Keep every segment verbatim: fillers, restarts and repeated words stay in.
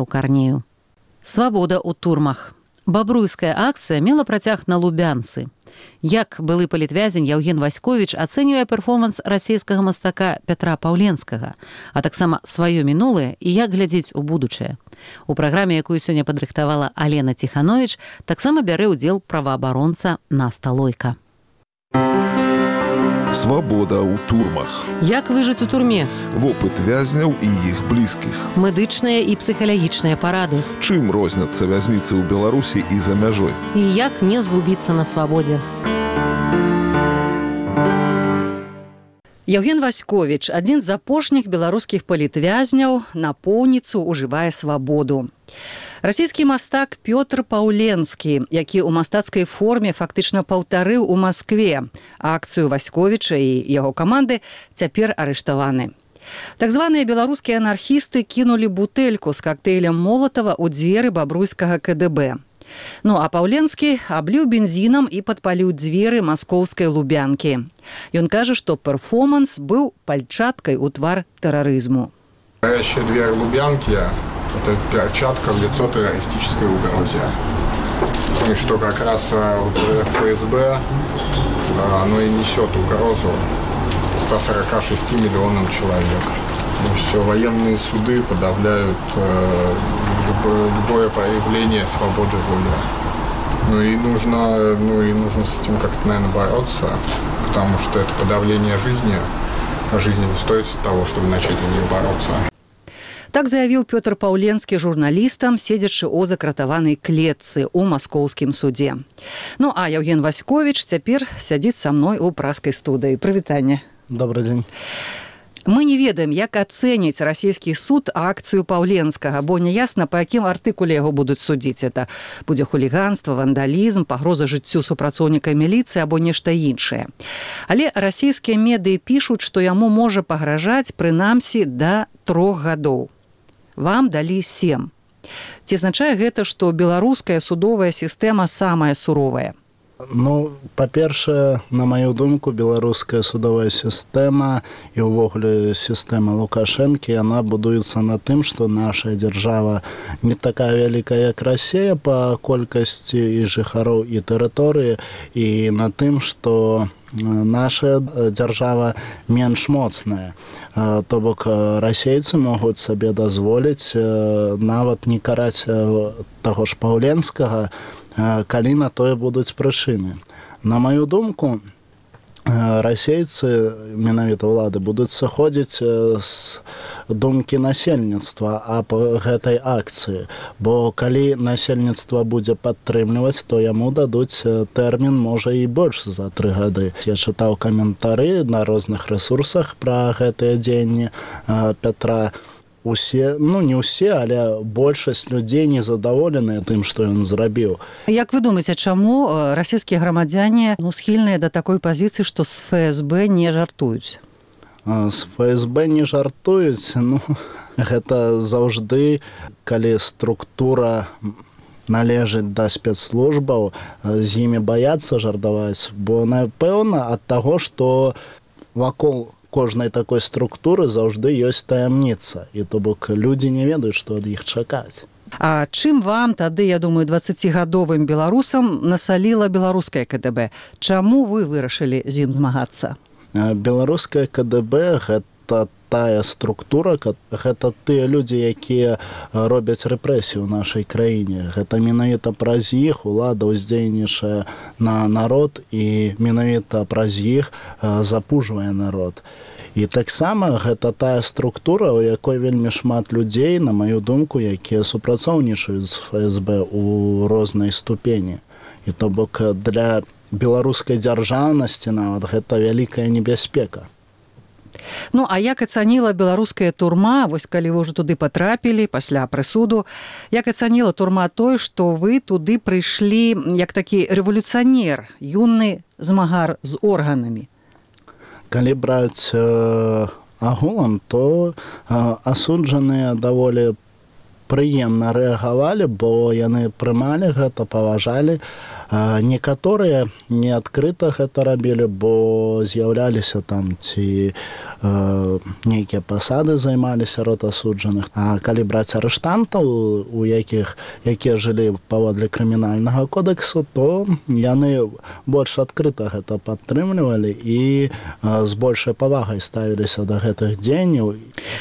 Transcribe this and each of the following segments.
у Карнею. Свабода ў турмах. Бабруйская акцыя мела працяг на Лубянцы. Як былы палітвязень Яўген Васьковіч ацэньвае перформанс расійскага мастака Пятра Паўленскага, а таксама сваё мінулае і як глядзець у будучае. У праграме, якую сёння падрыхтавала Алена Ціхановіч, таксама бярэ ўдзел праваабаронца Наста Лойка. Свабода ў турмах. Як выжыць у турме? Вопыт вязняў і іх блізкіх. Медычныя і псіхалагічныя парады. Чым розняцца вязніцы ў Беларусі і за мяжой? І як не згубіцца на свабодзе? Яўген Васьковіч, адзін з апошніх беларускіх палітвязняў, напоўніцу ўжывае свабоду. Расійскі мастак Пётр Паўленскі, які ў мастацкай форме фактычна паўтарыў у Маскве акцыю Васьковіча і яго каманды, цяпер арыштаваны. Так званыя беларускія анархісты кінулі бутэльку з кактэйлем Молатава ў дзверы бабруйскага ка дэ бэ. Ну а Паўленскі абліў бензінам і падпаліў дзверы маскоўскай Лубянкі. Ён кажа, што перформанс быў пальчаткай у твар тэрарызму. Горящая дверь Лубянки – это перчатка в лицо террористической угрозе. И что как раз вот эф эс бэ, оно и несет угрозу ста сорока шести миллионам человек. И все, военные суды подавляют э, любое проявление свободы воли. Ну и нужно, ну и нужно с этим как-то, наверное, бороться, потому что это подавление жизни, а жизни не стоит того, чтобы начать за нее бороться. Так заявіў Пётр Паўленскі журналістам, седзячы ў закратаванай клетцы ў маскоўскім судзе. Ну а Яўген Васьковіч цяпер сядзіць са мной у праскай студыі. Прывітанне. Добрый дзень. Мы не ведаем, як ацэніць расійскі суд акцыю Паўленскага, бо няясна, па якім артыкуле яго будуць судзіць. Это будзе хуліганства, вандалізм, пагроза жыццю супрацоўніка міліцыі або нешта іншае. Але расійскія медыі пішуць, што яму можа пагражаць прынамсі да трох гадоў. Вам далі сем. Ці азначае гэта, што беларуская судовая сістэма самая суровая? Ну, па-першае, на маю думку, беларуская судовая сістэма і ўвогуле сістэма Лукашэнкі, яна будуецца на тым, што наша дзяржава не такая вялікая, як Расія па колькасці і жыхароў і тэрыторыі, і на тым, што наша дзяржава менш моцная. То бок расейцы могуць сабе дазволіць нават не караць таго ж Паўленскага, калі на тое будуць прычыны. На маю думку, расейцы, менавіта ўлады, будуць сыходзіць з думкі насельніцтва аб гэтай акцыі, бо калі насельніцтва будзе падтрымліваць, то яму дадуць тэрмін, можа, і больш за тры гады. Я чытаў каментары на розных рэсурсах пра гэтыя дзеянні Пятра. Усе, ну не ўсе, але большасць людзей незадаволеныя тым, што ён зрабіў. Як вы думаеце, чаму расійскія грамадзяне ну, схільныя да такой пазіцыі, што з эф эс бэ не жартуюць? З эф эс бэ не жартуюць, ну, гэта заўжды, калі структура належыць да спецслужбаў, з імі баяцца жартаваць, бо, напэўна, ад таго, што вакол кожнай такой структуры заўжды ёсць таямніца, і то бок людзі не ведаюць, што ад іх чакаць. А чым вам тады, я думаю, дваццацігадовым беларусам насаліла беларускае ка дэ бэ? Чаму вы вырашылі з ім змагацца? Беларускае ка дэ бэ гэта тая структура, гэта тыя людзі, якія робяць рэпрэсію ў нашай краіне. Гэта менавіта праз іх улада ўздзейнічае на народ і менавіта праз іх запужвае народ. І таксама гэта тая структура, у якой вельмі шмат людзей, на маю думку, якія супрацоўнічаюць з эф эс бэ ў рознай ступені. І то бок для беларускай дзяржаўнасці нават гэта вялікая небяспека. Ну, а як ацаніла беларуская турма, вось калі вы ўжо туды патрапілі пасля прысуду, як ацаніла турма той, што вы туды прыйшлі як такі рэвалюцыянер, юны змагар з органамі? Калі браць э, агулам, то э, асуджаныя даволі прыемна рэагавалі, бо яны прымалі гэта, паважалі Некаторыя не адкрыта гэта рабілі, бо з'яўляліся там ці нейкія пасады займалі сярод асуджаных. А калі браць арыштантаў, у якіх якія жылі паводле крымінальнага кодексу, то яны больш адкрыта гэта падтрымлівалі і з большай павагай ставіліся да гэтых дзеянняў.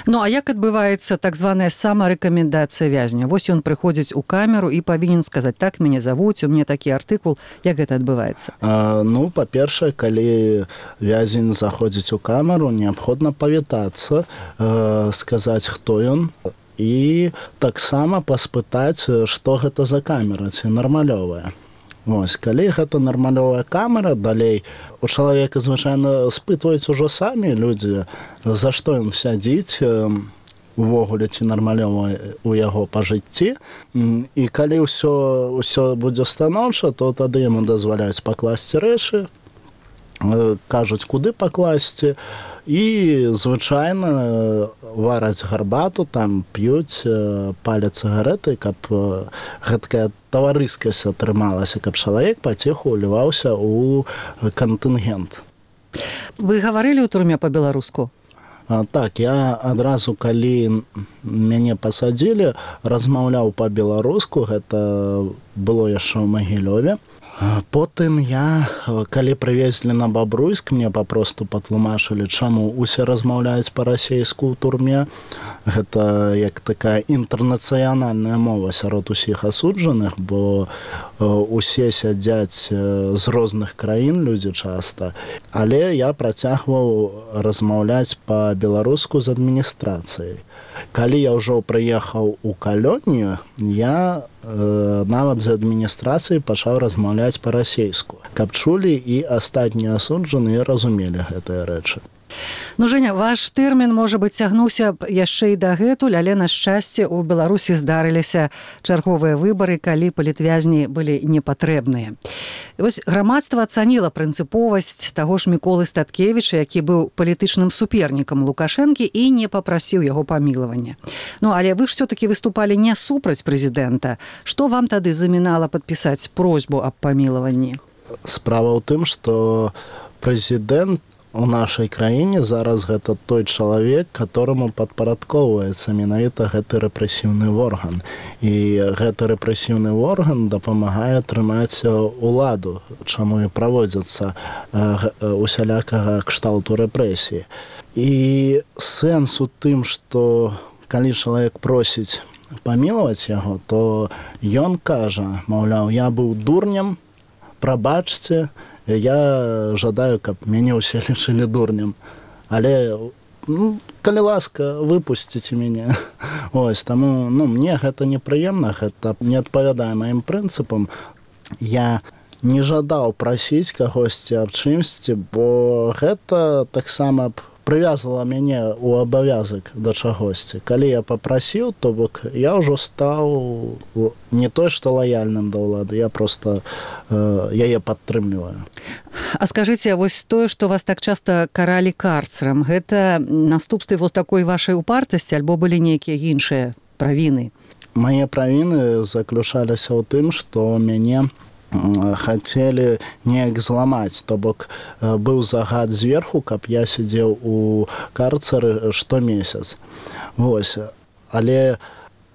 Ну, а як адбываецца так званая самарэкамендацыя вязня? Вось ён прыходзіць у камеру і павінен сказаць: так мяне завуць, у мяне такі артыкул. Як гэта адбываецца? А, ну, па-першае, калі вязень заходзіць у камеру, неабходна павітацца, э, сказаць, хто ён, і таксама паспытаць, што гэта за камера, ці нармалёвая. Вось, калі гэта нармалёвая камера, далей у чалавека звычайна спытваюць ужо самі людзі, за што ён сядзіць, увогуле ці нармалёва у яго па жыцці. І калі ўсё, ўсё будзе станоўча, то тады яму дазваляюць пакласці рэчы, кажуць, куды пакласці, і звычайна вараць гарбату, там п'юць, паляць цыгарэты, каб гэткая таварыскасць атрымалася, каб чалавек паціху ўліваўся ў кантынгент. Вы гаварылі ў турме па-беларуску? Так, я адразу, калі мяне пасадзілі, размаўляў па-беларуску, гэта было яшчэ ў Магілёве. Потым я, калі прывезлі на Бабруйск, мне папросту патлумачылі, чаму усе размаўляюць па-расейску ў турме. Гэта як такая інтэрнацыянальная мова сярод усіх асуджаных, бо усе сядзяць з розных краін, людзі часта. Але я працягваў размаўляць па-беларуску з адміністрацыяй. Калі я ўжо прыехаў у калонію, я э, нават з адміністрацыяй пачаў размаўляць па-расейску, каб чулі і астатнія асуджаныя разумелі гэтыя рэчы. Ну, Женя, ваш тэрмін, можа быць, цягнуўся яшчэ і дагэтуль, але, на шчасце, у Беларусі здарыліся чарговыя выбары, калі палітвязні былі непатрэбныя. Вось грамадства ацаніла прынцыповасць таго ж Міколы Статкевіча, які быў палітычным супернікам Лукашэнкі і не папрасіў яго памілавання. Ну, але вы ж всё-таки выступалі не супраць прэзідэнта. Што вам тады замінала падпісаць просьбу аб памілаванні? Справа ў тым, што прэзідэнт у нашай краіне зараз гэта той чалавек, которому падпарадковваецца менавіта гэты рэпрэсіўны орган. І гэты рэпрэсіўны орган дапамагае трымаць уладу, чаму і праводзяцца усялякага кшталту рэпрэсіі. І сэнс у тым, што калі чалавек просіць памілаваць яго, то ён кажа, маўляў, я быў дурнем, прабачце, я жадаю, каб мяне ўсе лічылі дурнем. Але, ну, калі ласка, выпусціце мяне. Ось, таму, ну, мне гэта непрыемна, гэта не адпавядае маім прынцыпам. Я не жадаў прасіць кагосьці аб чымсьці, бо гэта таксама прывязала мяне ў абавязак да чагосьці. Калі я папрасіў, то бок я ўжо стаў не той, што лаяльным да ўлады, я проста э, яе падтрымліваю. А скажыце, вось тое, што вас так часта каралі карцерам, гэта наступствы вось такой вашай упартасці, альбо былі нейкія іншыя правіны? Мае правіны заключаліся ў тым, што мяне хацелі неяк зламаць, то бок быў загад зверху, каб я сидзеў у карцары штомесяц. Вось. Але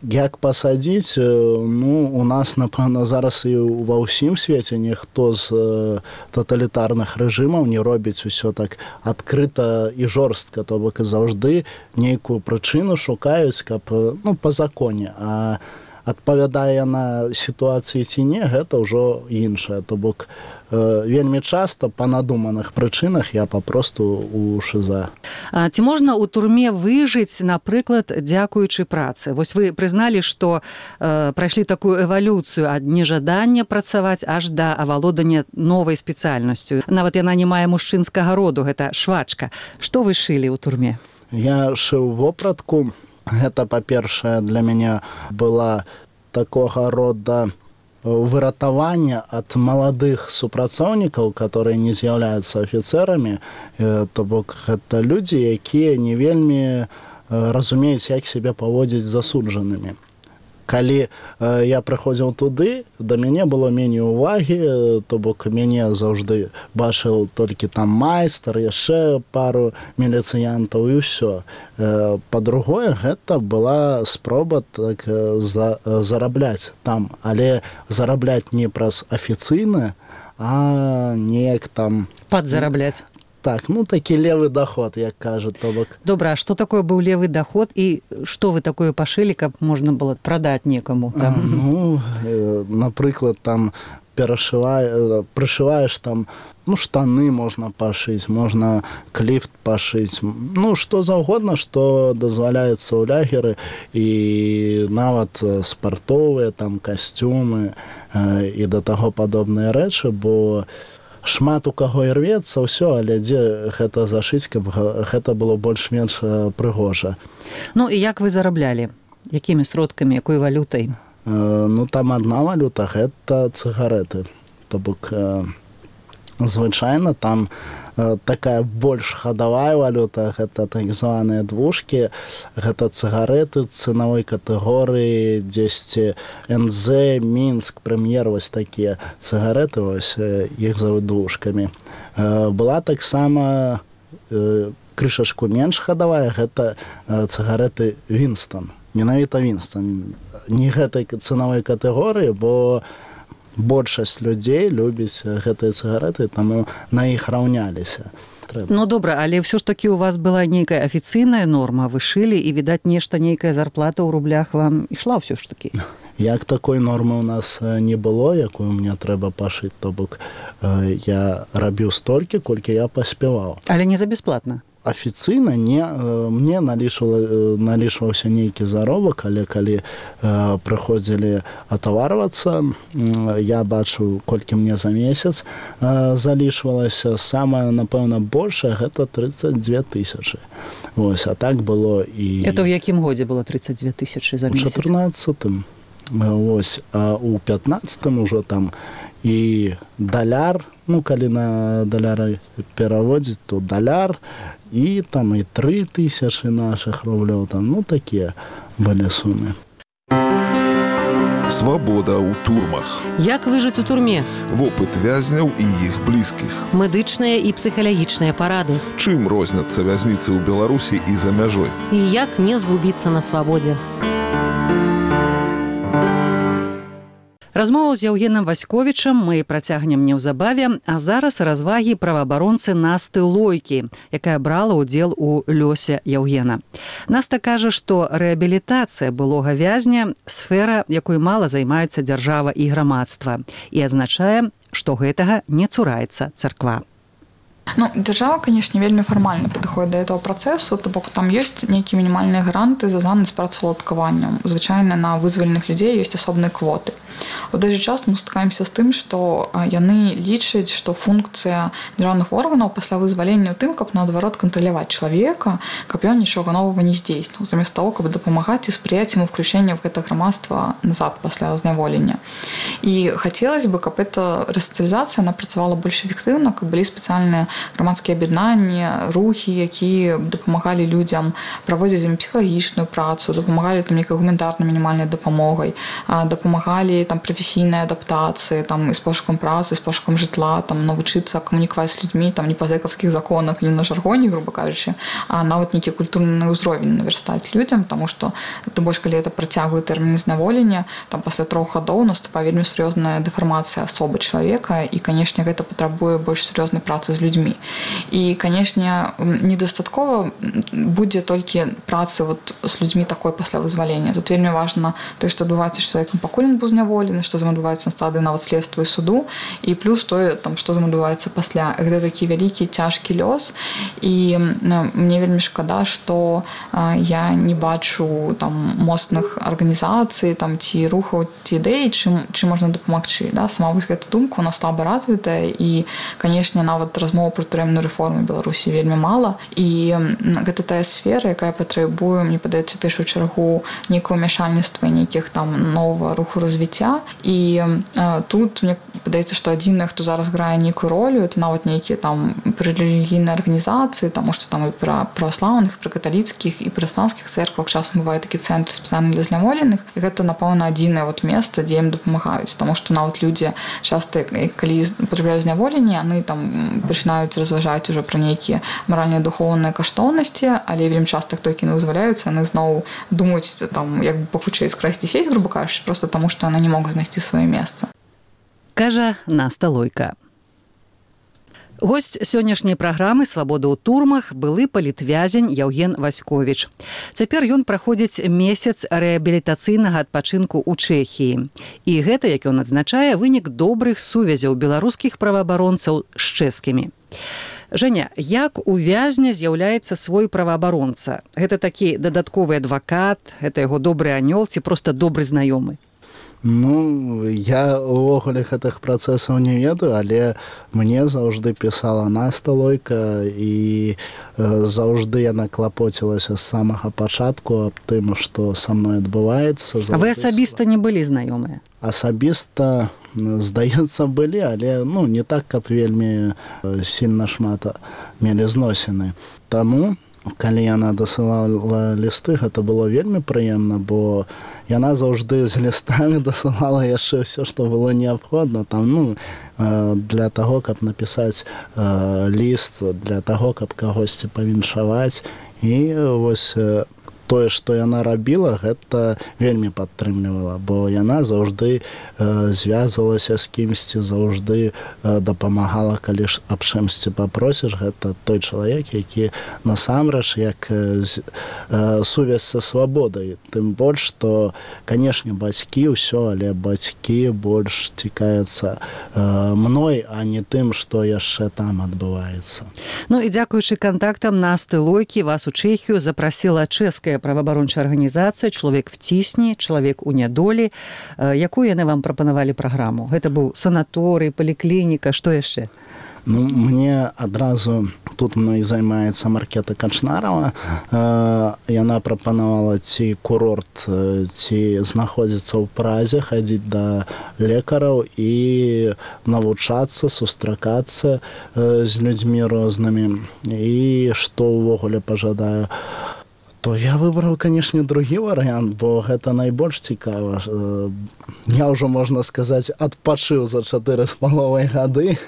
як пасадзіць, ну, у нас, напэўна, зараз і ва ўсім свеце ніхто з таталітарных рэжымаў не робіць усё так адкрыта і жорстка, то бок заўжды нейкую прычыну шукаюць, каб, ну, па законе, а адпавядае на сітуацыі ці не, гэта ўжо іншае. То бок э, вельмі часта па надуманых прычынах я папросту у ШЗА. А ці можна ў турме выжыць, напрыклад, дзякуючы працы? Вось вы прызналі, што э, прайшлі такую эвалюцыю ад нежадання працаваць аж да авалодання новай спецыяльнасцю. Нават яна не мае мужчынскага роду, гэта швачка. Што вы шылі ў турме? Я шыў вопратку. Гэта, па-першае, для мяне была такога рода выратавання ад маладых супрацоўнікаў, которые не з'яўляюцца афіцэрамі, то бок гэта людзі, якія не вельмі разумеюць, як сябе паводзіць з засуджанымі. калі я прыходзіў туды, да мяне было меней увагі, то бок мяне заўжды бачыў толькі там майстар, яшчэ пару міліцыянтаў і ўсё. Па-другое, гэта была спроба так за, зарабляць там, але зарабляць не праз афіцыйна, а неяк там... Падзарабляць. Так, ну такі левы доход, як кажуць, то бок. Добра, а што такое быў левы доход і што вы такое пашылі, каб можна было прадаць некаму там? А, ну, э, напрыклад, там перашываеш, прышываеш там, ну, штаны можна пашыць, можна кліфт пашыць, ну, што заўгодна, што дазваляецца ў лягеры, і нават спартовыя там касцюмы э, і да таго падобныя рэчы, бо шмат у каго і рвецца ўсё, але дзе гэта зашыць, каб гэта было больш-менш прыгожа. Ну і як вы зараблялі? Якімі сродкамі, якой валютай? Э, ну там адна валюта, гэта цыгареты. То бок э, звычайна там э, такая больш хадавая валюта, гэта так званыя двушкі, гэта цыгареты цэнавой катэгорыі, дзесьці эн зэ, Мінск, Прэм'ер, вось такія цыгареты, вось іх завуць двушкамі. Э, была таксама э, крышачку менш хадавая, гэта э, цыгареты Вінстон. Менавіта Вінстон. Не гэтай цэнавой катэгорыі, бо большасць людзей любіць гэтыя цыгареты, таму на іх раўняліся. Трэба. Ну добра, але ўсё ж такі у вас была нейкая афіцыйная норма, вы шылі, і, відаць, нешта, нейкая зарплата ў рублях вам ішла ўсё ж такі? Як такой нормы ў нас не было, якую мне трэба пашыць, то бок я рабіў столькі, колькі я паспяваў. Але не за бясплатна? Афіцыйна не, мне налічвала, налічваўся нейкі заробак, але калі э, прыходзілі атаварвацца, я бачу, колькі мне за месяц э, залічвалася. Самае, напэўна, большае, гэта тридцать две тысячи. Вось, а так было і... Это ў якім годзе было тридцать две тысячи за месяц? У чатырнаццатым. Вось, а ў пятнаццатым ужо там і даляр, ну, калі на даляры пераводзіць, то даляр, і там і тры тысячы нашых рублёў, там, ну, такія былі сумы. Свабода ў турмах. Як выжыць у турме? Вопыт вязняў і іх блізкіх. Медычныя і псіхалагічныя парады. Чым розняцца вязніцы ў Беларусі і за мяжой? І як не згубіцца на свабодзе? Размову з Яўгенам Васьковічам мы працягнем неўзабаве, а зараз развагі праваабаронцы Насты Лойкі, якая брала ўдзел у лёсе Яўгена. Наста кажа, што рэабілітацыя былога вязня – сфера, якой мала займаецца дзяржава і грамадства, і адзначае, што гэтага не цураецца царква. Ну, держава, конечно, вельмі фармальна падыходзіць да этого працэсу, то бок там ёсць нейкія мінімальныя гранты звязаныя з працаўладкаваннем. Звычайна на вызваленых людзей ёсць асобныя квоты. У той жа час мы стыкаемся з тым, што яны лічаць, што функцыя дзяржаўных органаў пасля вызвалення ў тым, каб наадварот кантраляваць чалавека, каб ён нічога новага не здзейсніў, замест таго, каб дапамагаць і спрыяць яму ўключэння в гэта грамадства назад пасля зняволення. І хацелось бы, каб эта рэсацыялізацыя працавала больш эфектыўна, каб былі спецыяльныя грамадскія аб'яднанні, рухі, якія дапамагалі людзям праводзіць ім псіхалагічную працу, дапамагалі там нейкай гуманітарнай мінімальнай дапамогай, дапамагалі там прафесійнай адаптацыі, там і з пошукам працы, з пошукам жытла, там навучыцца камунікаваць з людзьмі, там не па зэкаўскіх законах, не на жаргоне, грубо кажучы, а нават нейкі культурны ўзровень навярстаць людзям, таму што тым больш калі это працяглы тэрмін зняволення, там пасля трох гадоў наступае вельмі сур'ёзная дэфармацыя асобы чалавека, і, канешне, гэта патрабуе больш сур'ёзнай працы з людзьмі. І, канешне, недастаткова будзе толькі працы вот з людзьмі такой пасля вызвалення. Тут вельмі важна тое, што адбываецца з чалавекам, пакуль ён быў зняволены, што з ім адбываецца на стадыі нават следства і суду, і плюс тое, там, што з ім адбываецца пасля. Гэта такі вялікі, цяжкі лёс, і ну, мне вельмі шкада, што а, я не бачу там моцных арганізацый, там, ці рухаў, ці ідэй, чым, чым можна дапамагчы. Да? Сама вось гэта думка у нас слаба развітая, і, канешне, нават размова про турэмную рэформу Беларусі вельмі мала, і гэта тая сфера, якая патрабуе, мне падаецца, першую чаргу нейкае ўмяшальніцтва, нейкіх там новага руху развіцця, і а, тут мне падаецца, што адзінае, хто зараз грае нейкую ролю, это нават нейкія там прырэлігійныя арганізацыі, таму што там і пра праваслаўных, пры каталіцкіх і пратэстанцкіх цэрквах часам бывае такі цэнтры спецыяльна для зняволеных, і гэта, напэўна, адзінае вот месца, дзе ім дапамагаюць, таму што нават людзі часта, калі патрапляюць зняволенне, яны там пачынаюць разважаць ужо пра нейкія маральныя духоўныя каштоўнасці, але вельмі часта хто які не вызваляюцца, яны зноў думаюць там як бы пахутчэй скрасці сеть, грубо кажучы, просто таму што яны не могуць знайсці сваё месца. Кажа Наста Лойка. Госць сённяшняй праграмы «Свабода ў турмах» былы палітвязень Яўген Васьковіч. Цяпер ён праходзіць месяц рэабілітацыйнага адпачынку ў Чэхіі. І гэта, як ён адзначае, вынік добрых сувязяў беларускіх праваабаронцаў з чэшскімі. Женя, як у вязня з'яўляецца свой праваабаронца? Гэта такі дадатковы адвакат, гэта яго добры анёл ці проста добры знаёмы? Ну, я увогуле гэтых працэсаў не ведаю, але мне заўжды пісала Наста Лойка, і э, заўжды яна клапоцілася з самага пачатку аб тым, што са мной адбываецца. А вы асабіста не былі знаёмыя? Асабіста, здаецца, былі, але ну, не так, каб вельмі сильна шмат мелі зносіны. Таму, калі яна дасылала лісты, гэта было вельмі прыемна, бо яна заўжды з лістамі дасылала яшчэ ўсё, што было неабходна. Там, ну, для таго, каб напісаць ліст, для таго, каб кагосьці павіншаваць. І вось тое, што яна рабіла, гэта вельмі падтрымлівала, бо яна заўжды э, звязвалася з кімсьці, заўжды э, дапамагала, калі ж аб чымсьці папросіш. Гэта той чалавек, які насамрэч як э, э, сувязь са свабодай. Тым больш, што, канешне, бацькі ўсё, але бацькі больш цікаюцца э, мной, а не тым, што яшчэ там адбываецца. Ну і дзякуючы кантактам Насты Лойкі вас у Чэхію запрасіла чэшская праваабарончая арганізацыя «Чалавек в цісні», «Чалавек у нядолі». Якую яны вам прапанавалі праграму? Гэта быў санаторый, паліклініка, што яшчэ? Ну, мне адразу тут мной займаецца Маркета Качнарова. Яна прапанавала ці курорт, ці знаходзіцца ў Празе, хадзіць да лекараў і навучацца, сустракацца з людзьмі рознымі. І што ўвогуле пажадаю? То я выбраў, канешне, другі варыянт, бо гэта найбольш цікава. Я ўжо, можна сказаць, адпачыў за чатыры з паловай гады.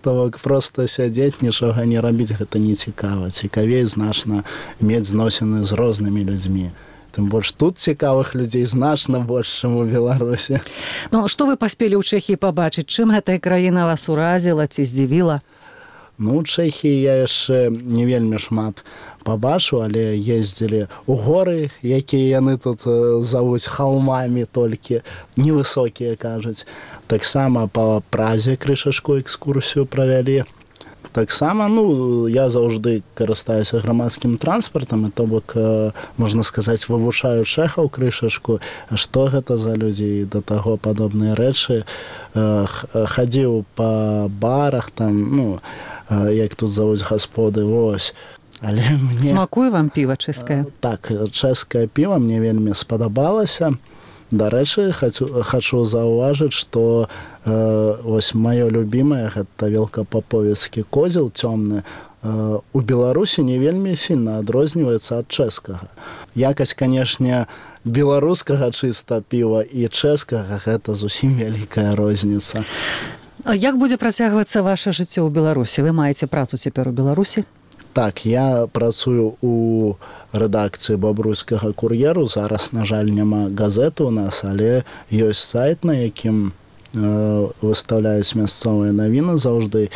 То бок проста сядзець, нічога не рабіць, гэта не цікава. Цікавей значна мець зносіны з рознымі людзьмі. Тым больш тут цікавых людзей значна больш, чым у Беларусі. Ну, што вы паспелі ў Чэхіі пабачыць? Чым гэтая краіна вас уразіла ці здзівіла? Ну, у Чэхіі я яшчэ не вельмі шмат пабачу, але ездзілі ў горы, якія яны тут завуць халмамі толькі, невысокія, кажуць. Таксама па Празе крышачку экскурсію правялі. Таксама, ну, я заўжды карыстаюся грамадскім транспартам, і то бок, можна сказаць, вывучаю чэхаў крышачку, што гэта за людзі, да таго падобныя рэчы. Хадзіў па барах, там, ну, як тут завуць гасподы, вось. Але мне... Смакуе вам піва чэшскае? Так, чэшскае піва мне вельмі спадабалася. Дарэчы, хачу, хачу заўважыць, што э, вось маё любімае, гэта велкапаповецкі козел цёмны, э, у Беларусі не вельмі сильна адрозніваецца ад чэшскага. Якасць, канешне, беларускага чыста піва і чэшскага, гэта зусім вялікая розніца. А як будзе працягвацца ваша жыццё ў Беларусі? Вы маеце працу цяпер у Беларусі? Так, я працую у рэдакцыі бабруйскага кур'еру. Зараз, на жаль, няма газеты ў нас, але ёсць сайт, на якім э, выстаўляюць мясцовыя навіны заўжды,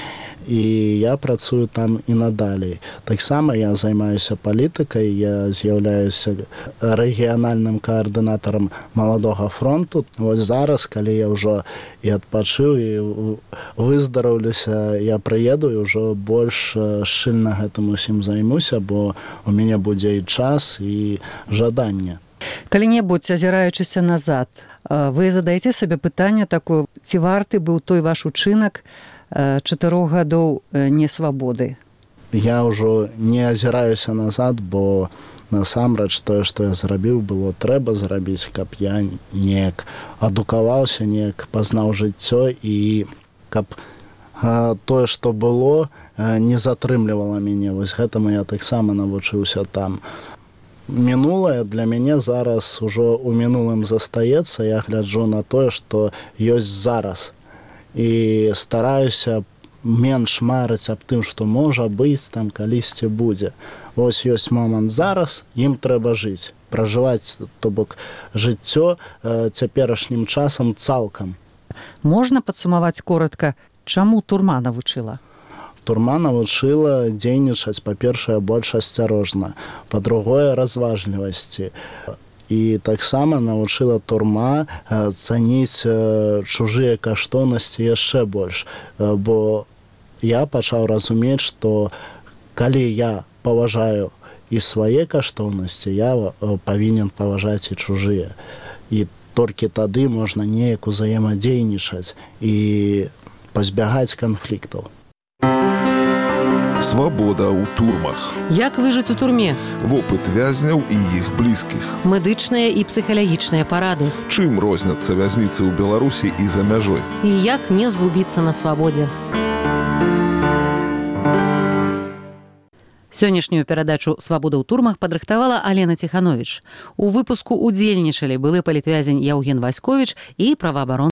і я працую там і надалей. Таксама я займаюся палітыкай, я з'яўляюся рэгіянальным каардынатарам Маладога фронту. Вось зараз, калі я ўжо і адпачыў, і выздараўлюся, я прыеду і ўжо больш шчыльна гэтым усім займуся, бо у мяне будзе і час, і жаданне. Калі-небудзь, азіраючыся назад, вы задаеце сабе пытанне такое, ці варты быў той ваш учынак чатырох гадоў несвабоды? Я ўжо не азіраюся назад, бо насамрэч тое, што я зрабіў, было трэба зрабіць, каб я неяк адукаваўся, неяк пазнаў жыццё і каб э, тое, што было, э, не затрымлівала мяне. Вось гэтаму я таксама навучыўся там. Мінулае для мяне зараз ужо ў мінулым застаецца. Я гляджу на тое, што ёсць зараз. І стараюся менш марыць аб тым, што можа быць, там калісьці будзе. Вось ёсць момант зараз, ім трэба жыць. Пражываць, то бок, жыццё э, цяперашнім часам цалкам. Можна падсумаваць коротка, чаму турма навучыла? Турма навучыла дзейнічаць, па-першае, больш асцярожна, па-другое, разважлівасці. І таксама навучыла турма э, цаніць э, чужыя каштоўнасці яшчэ больш. Э, бо я пачаў разумець, што калі я паважаю і свае каштоўнасці, я э, павінен паважаць і чужыя. І толькі тады можна неяк узаемадзейнічаць і пазбягаць канфліктаў. Свабода ў турмах. Як выжыць у турме? Вопыт вязняў і іх блізкіх. Медычныя і псіхалагічныя парады. Чым розняцца вязніцы ў Беларусі і за мяжой? І як не згубіцца на свабодзе? Сённяшнюю перадачу «Свабода ў турмах» падрыхтавала Алена Ціхановіч. У выпуску ўдзельнічалі былы палітвязень Яўген Васьковіч і праваабаронцы